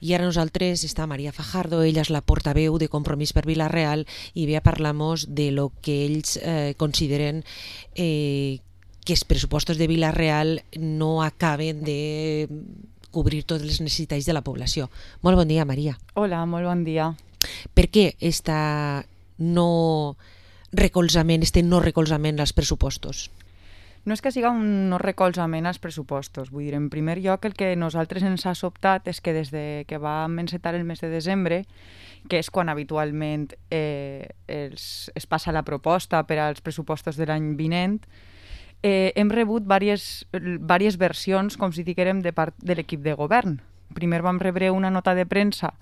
I ara nosaltres està Maria Fajardo, ella és la portaveu de Compromís per Vila-real i ve a parlar-nos de lo que ells consideren que els pressupostos de Vila-real no acaben de cobrir totes les necessitats de la població. Molt bon dia, Maria. Hola, molt bon dia. Per què no recolzament als pressupostos? No és que siga un no recolzament als pressupostos. Vull dir, en primer lloc, el que nosaltres ens ha sobtat és que des que vam encetar el mes de desembre, que és quan habitualment es passa la proposta per als pressupostos de l'any vinent, hem rebut diverses versions, com si diguérem, de part de l'equip de govern. Primer vam rebre una nota de premsa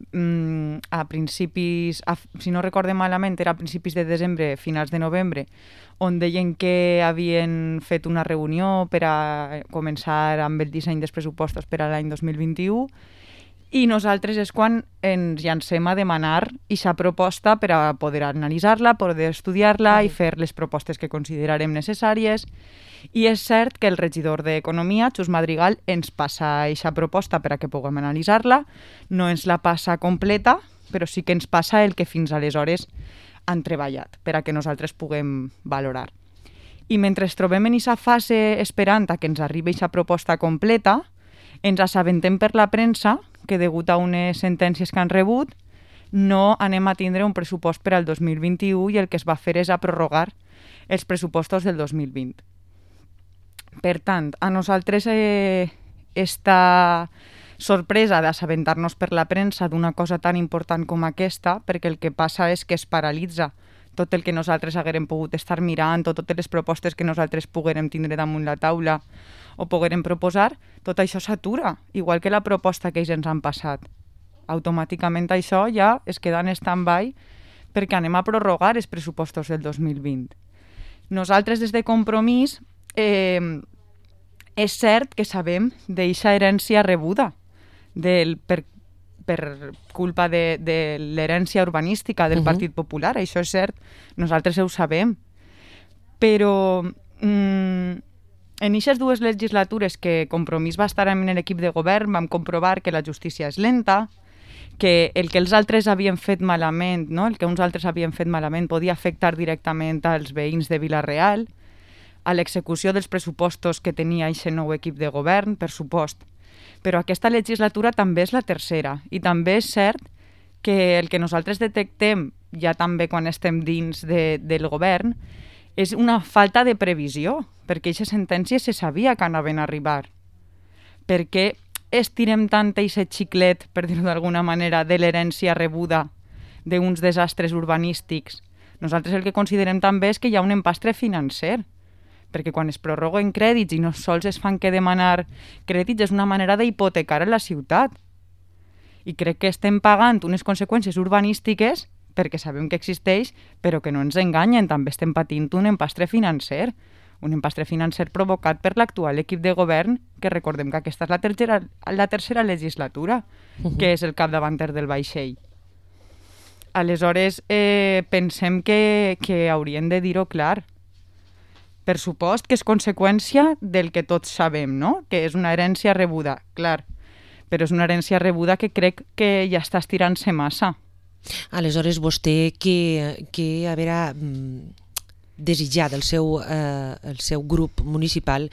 a principis, si no recorde malament, era a principis de desembre, finals de novembre, on deien que havien fet una reunió per a començar amb el disseny dels pressupostos per a l'any 2021, i nosaltres és quan ens llancem a demanar aquesta proposta per a poder analitzar-la, poder estudiar-la i fer les propostes que considerarem necessàries. I és cert que el regidor d'Economia, Xus Madrigal, ens passa aquesta proposta per a que puguem analitzar-la. No ens la passa completa, però sí que ens passa el que fins aleshores han treballat per a que nosaltres puguem valorar. I mentre ens trobem en aquesta fase esperant a que ens arribi aquesta proposta completa, ens assabentem per la premsa que, degut a unes sentències que han rebut, no anem a tindre un pressupost per al 2021 i el que es va fer és a prorrogar els pressupostos del 2020. Per tant, a nosaltres esta sorpresa d'assabentar-nos per la premsa d'una cosa tan important com aquesta, perquè el que passa és que es paralitza tot el que nosaltres haguérem pogut estar mirant o totes les propostes que nosaltres poguérem tindre damunt la taula o poguérem proposar, tot això s'atura, igual que la proposta que ells ens han passat. Automàticament això ja es queda en stand-by perquè anem a prorrogar els pressupostos del 2020. Nosaltres des de Compromís és cert que sabem d'eixa herència rebuda per culpa de l'herència urbanística del Partit Popular, això és cert, nosaltres ho sabem. Però en aquestes dues legislatures que Compromís va estar en l'equip de govern vam comprovar que la justícia és lenta, que el que els altres havien fet malament, no? El que uns altres havien fet malament podia afectar directament als veïns de Vila-real, a l'execució dels pressupostos que tenia aquest nou equip de govern, per supost. Però aquesta legislatura també és la tercera i també és cert que el que nosaltres detectem, ja també quan estem dins del govern, és una falta de previsió, perquè aquestes sentències se sabia que anaven a arribar. Per què estirem tant aquest xiclet, per dir-ho d'alguna manera, de l'herència rebuda d'uns desastres urbanístics? Nosaltres el que considerem també és que hi ha un empastre financer, perquè quan es prorroguen crèdits i no sols es fan que demanar crèdits és una manera d'hipotecar a la ciutat. I crec que estem pagant unes conseqüències urbanístiques perquè sabem que existeix, però que no ens enganyen, també estem patint un empastre financer provocat per l'actual equip de govern, que recordem que aquesta és la tercera legislatura, que és el capdavanter del vaixell. Aleshores, pensem que haurien de dir-ho clar. Per supost que és conseqüència del que tots sabem, no? Que és una herència rebuda, clar, però és una herència rebuda que crec que ja està estirant-se massa. Aleshores, vostè que haurà desitjat el seu grup municipal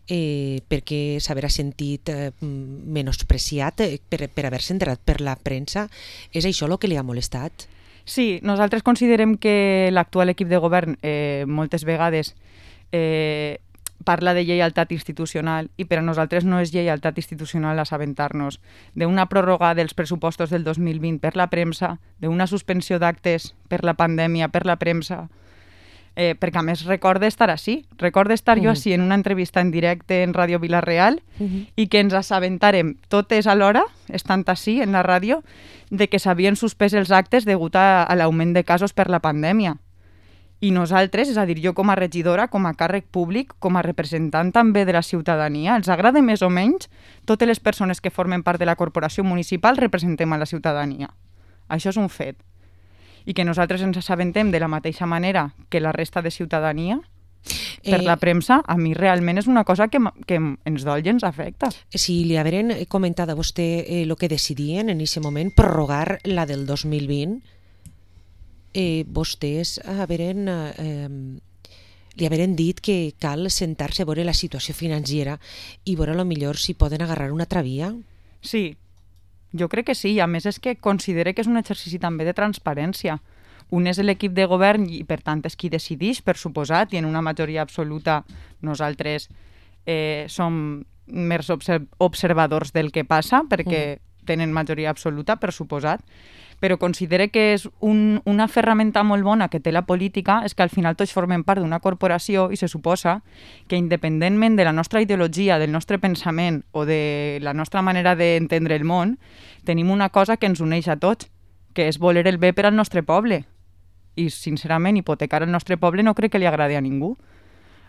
perquè s'haurà sentit menospreciat per haver-se enterat per la premsa, és això el que li ha molestat? Sí, nosaltres considerem que l'actual equip de govern moltes vegades parla de lleialtat institucional i per a nosaltres no és lleialtat institucional assabentar-nos d'una pròrroga dels pressupostos del 2020 per la premsa, d'una suspensió d'actes per la pandèmia per la premsa, perquè a més recordo estar jo així en una entrevista en directe en Ràdio Vila-real i que ens assabentarem totes alhora, estant així en la ràdio, de que s'havien suspès els actes degut a l'augment de casos per la pandèmia. I nosaltres, és a dir, jo com a regidora, com a càrrec públic, com a representant també de la ciutadania, els agrada més o menys, totes les persones que formen part de la corporació municipal representem a la ciutadania. Això és un fet. I que nosaltres ens assabentem de la mateixa manera que la resta de ciutadania, per la premsa, a mi realment és una cosa que ens dol i ens afecta. Si li haveren comentat a vostè el que decidien en aquest moment, prorrogar la del 2020, vostès li haveren dit que cal sentar-se a veure la situació financera i veure millor si poden agarrar una altra via? Sí, jo crec que sí, i a més és que considere que és un exercici també de transparència. Un és l'equip de govern i per tant és qui decideix, per suposat, i en una majoria absoluta nosaltres som més observadors del que passa perquè tenen majoria absoluta, per suposat, però considere que és una ferramenta molt bona que té la política, és que al final tots formem part d'una corporació i se suposa que independentment de la nostra ideologia, del nostre pensament o de la nostra manera d'entendre el món, tenim una cosa que ens uneix a tots, que és voler el bé per al nostre poble. I, sincerament, hipotecar el nostre poble no crec que li agradi a ningú.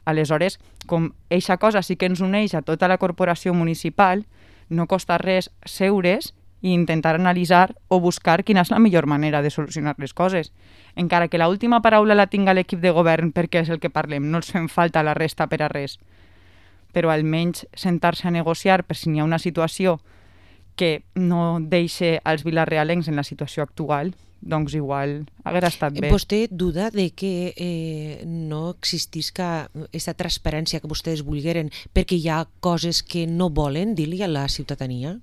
Aleshores, com eixa cosa sí que ens uneix a tota la corporació municipal, no costa res seure's i intentar analitzar o buscar quina és la millor manera de solucionar les coses. Encara que l'última paraula la tinga l'equip de govern perquè és el que parlem, no els fem falta la resta per a res. Però almenys sentar-se a negociar per si n'hi ha una situació que no deixi als vilarealencs en la situació actual, doncs igual haguera estat bé. Vostè duda de que no existisca aquesta transparència que vostès volgueren perquè hi ha coses que no volen dir-li a la ciutadania?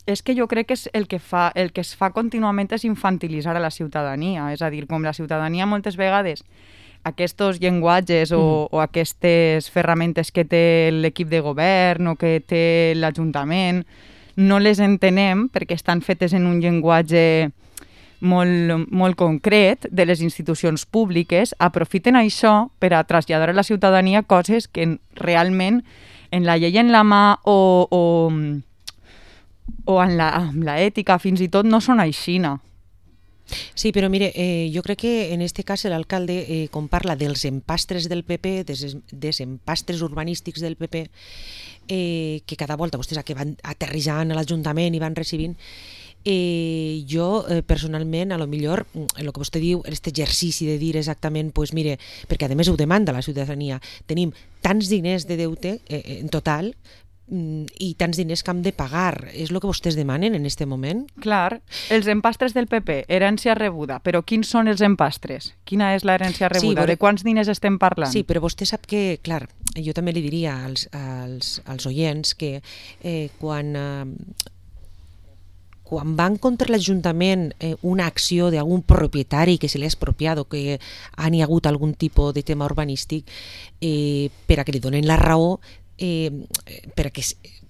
És que jo crec que el que es fa contínuament és infantilitzar a la ciutadania, és a dir, com la ciutadania moltes vegades aquests llenguatges o aquestes ferramentes que té l'equip de govern o que té l'Ajuntament no les entenem perquè estan fetes en un llenguatge molt concret de les institucions públiques, aprofiten això per a traslladar a la ciutadania coses que realment en la llei en la mà o amb l'ètica fins i tot no són aixina. Sí, però mire, jo crec que en este cas l'alcalde, quan parla dels empastres del PP, dels empastres urbanístics del PP, que cada volta vostès que van aterrissant a l'Ajuntament i van recibint, jo personalment, a lo millor, el que vostè diu, aquest exercici de dir exactament, pues mire, perquè a més ho demanda la ciutadania, tenim tants diners de deute en total i tants diners que hem de pagar. És el que vostès demanen en aquest moment? Clar, els empastres del PP, herència rebuda, però quins són els empastres? Quina és l'herència rebuda? De quants diners estem parlant? Sí, però vostè sap que, clar, jo també li diria als oients que quan van contra l'Ajuntament una acció d'algun propietari que se li ha expropiat o que han hagut algun tipus de tema urbanístic per a que li donen la raó, perquè,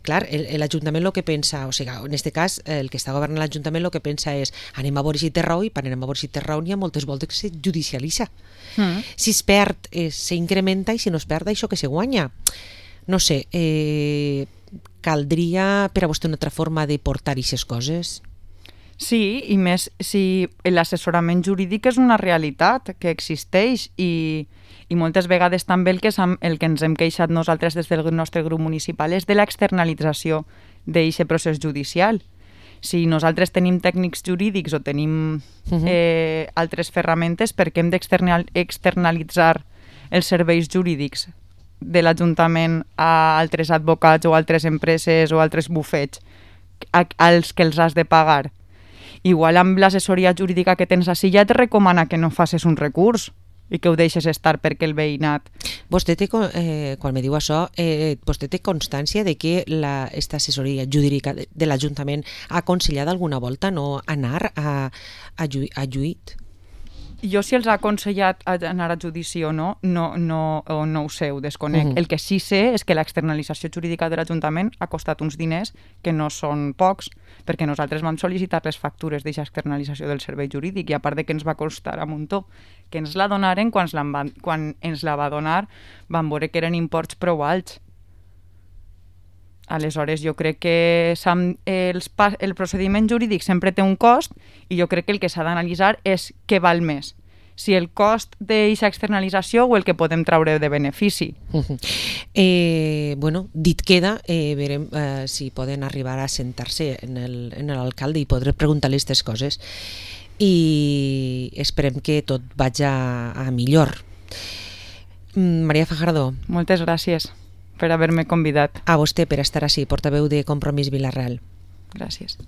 clar, l'Ajuntament el que pensa, o sigui, en aquest cas el que està governant l'Ajuntament el que pensa és anem a veure si té raó i quan anem a veure si té raó n'hi ha moltes voltes que se judicialitza. Si es perd, s'incrementa i si no es perd, això que se guanya. No sé, caldria per a vostè una altra forma de portar aquestes coses? Sí, i més si l'assessorament jurídic és una realitat que existeix i moltes vegades també el que ens hem queixat nosaltres des del nostre grup municipal és de l'externalització d'aquest procés judicial. Si nosaltres tenim tècnics jurídics o tenim altres ferramentes, per què hem d'externalitzar els serveis jurídics de l'Ajuntament a altres advocats o altres empreses o altres bufets als que els has de pagar? Igual amb l'assessoria jurídica que tens així ja et recomana que no facis un recurs i que ho deixes estar perquè el veïnat... Vostè té, quan me diu això, vostè té constància de que aquesta assessoria jurídica de l'Ajuntament ha aconsellat alguna volta no anar a lluit? Jo si els ha aconsellat anar a judici o no ho sé, ho desconec. El que sí sé és que l'externalització jurídica de l'Ajuntament ha costat uns diners que no són pocs, perquè nosaltres vam sol·licitar les factures d'aquesta externalització del servei jurídic i a part de que ens va costar a muntó, que ens la donaren, quan ens la va donar vam veure que eren imports prou alts. Aleshores, jo crec que el procediment jurídic sempre té un cost i jo crec que el que s'ha d'analitzar és què val més, si el cost d'aquesta externalització o el que podem traure de benefici. Bueno, dit queda, verem si poden arribar a sentar-se en l'alcalde i podré preguntar-li aquestes coses i esperem que tot vagi a millor. Maria Fajardo. Moltes gràcies per haver-me convidat. A vostè per estar així, portaveu de Compromís Vila-real. Gràcies.